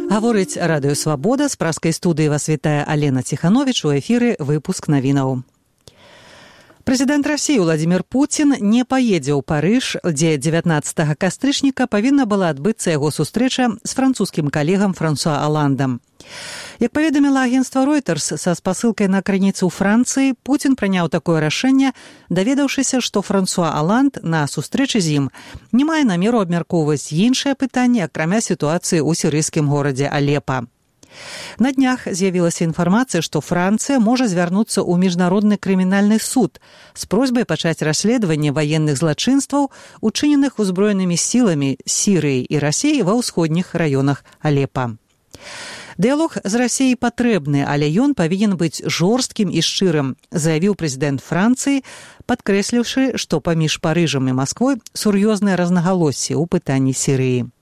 Гаворыць радыё «Свабода», з праскай студыі вас вітае Алена Ціхановіч, у эфіры выпуск навінаў. Прэзідэнт Расіі Владзімір Пуцін не паедзе ў Парыж, дзе 19 кастрычніка павінна была адбыцца яго сустрэча з французскім калегам Франсуа Аландам. Як паведаміла агенцтва Reuters са спасылкай на крыніцу ў Францыі, Пуцін прыняў такое рашэнне, даведаўшыся, што Франсуа Аланд на сустрэчы з ім не мае намеру абмяркоўваць іншыя пытанні, акрамя сітуацыі ў сірыйскім горадзе Алепа. На днях з'явілася інфармацыя, што Францыя можа звярнуцца ў міжнародны крымінальны суд з просьбай пачаць расследаванне ваенных злачынстваў, учыненых узброенымі сіламі Сірыі і Расіі ва ўсходніх раёнах Алепа. Дыялог з Расіяй патрэбны, але ён павінен быць жорсткім і шчырым, заявіў прэзідэнт Францыі, падкрэсліўшы, што паміж Парыжам і Масквой сур'ёзныя рознагалоссі ў пытанні Сірыі.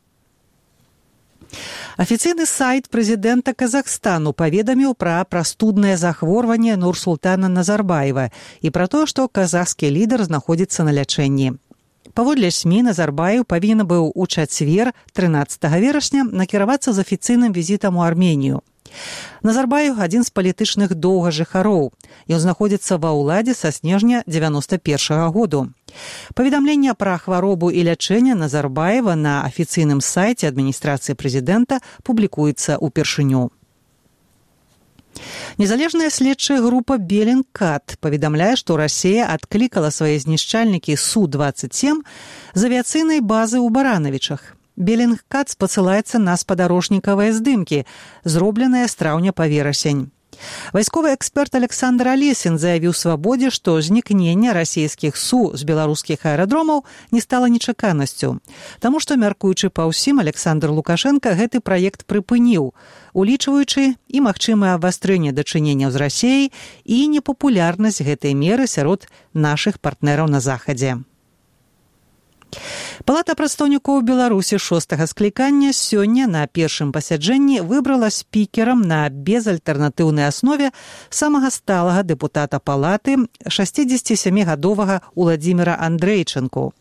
Афіцыйны сайт прэзідэнта Казахстану паведаміў пра прастуднае захворванне Нурсултана Назарбаева і пра тое, што казахскі лідар знаходзіцца на лячэнні. Паводле СМІ, Назарбаев павінен быў у чацвер, 13 верасня, накіравацца з афіцыйным візітам у Арменію. Назарбаев – адзін з палітычных доўгажыхароў. Ён знаходзіцца ва ўладзе са снежня 91 году. Паведамленне пра хваробу і лячэнне Назарбаева на афіцыйным сайце адміністрацыі прэзідэнта публікуецца ўпершыню. Незалежная следчая група «Беллингкат» паведамляе, што Расія адклікала свае знішчальнікі Су-27 з авіяцыйнай базы ў Баранавічах. «Беллингкат» спасылаецца на спадарожнікавыя здымкі, зробленыя з траўня па верасень. Вайсковы эксперт Александр Алесін заявіў «Свабодзе», што знікненне расійскіх Су з беларускіх аэрадромаў не стала нечаканасцю. Таму што, мяркуючы па ўсім, Александр Лукашенко гэты праект прыпыніў, улічваючы і магчымае абвастрэнне дачыненняў з Расіяй і непапулярнасць гэтай меры сярод нашых партнераў на Захадзе. Палата прадстаўнікоў Беларусі 6-га склікання сёння на першым пасяджэнні выбрала спікерам на безальтэрнатыўнай аснове самага сталага дэпутата палаты 67-гадовага Уладзіміра Андрэйчанку.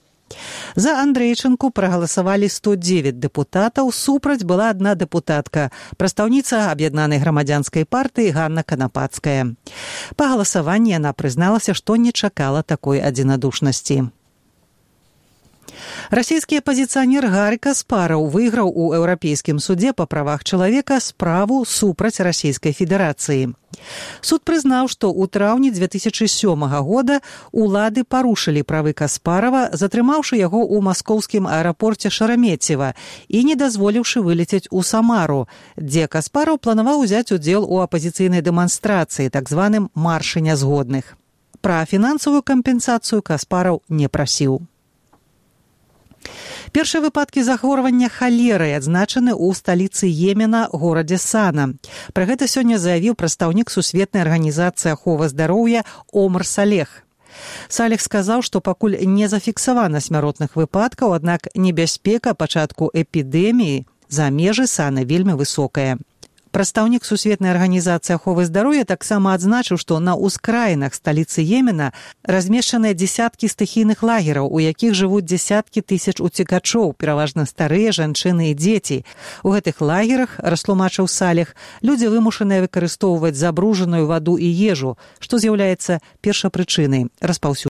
За Андрэйчанку прагаласавалі 109 дэпутатаў, супраць была адна дэпутатка, прадстаўніца аб'яднанай грамадзянскай партыі Ганна Канапацкая. Па галасаванні яна прызналася, што не чакала такой адзінадушнасці. Расійскі апазіцыянер Гарі Каспараў выйграў у Еўрапейскім судзе па правах чалавека справу супраць Расійскай Федэрацыі. Суд прызнаў, што ў траўні 2007 года улады парушылі правы Каспарава, затрымаўшы яго ў маскоўскім аэрапорце Шарамецева і не дазволіўшы вылецець у Самару, дзе Каспараў планаваў узяць удзел у апазіцыйнай дэманстрацыі, так званым маршы нязгодных. Пра фінансавую кампенсацыю Каспараў не прасіў. Першыя выпадкі захворвання халерай адзначаны ў сталіцы Йемена, горадзе Сана. Пра гэта сёння заявіў прадстаўнік Сусветнай арганізацыі аховы здароўя Омар Салех. Салех сказаў, што пакуль не зафіксавана смяротных выпадкаў, аднак небяспека пачатку эпідэміі за межы Сана вельмі высокая. Прадстаўнік Сусветнай арганізацыі аховы здароўя таксама адзначыў, што на ўскраінах сталіцы Йемена размешчаныя дзесяткі стыхійных лагераў, у якіх жывуць дзесяткі тысяч уцекачоў, пераважна старыя жанчыны і дзеці. У гэтых лагерах, растлумачыў Салех, людзі вымушаныя выкарыстоўваць забруджаную ваду і ежу, што з'яўляецца першапрычынай распаўсюджання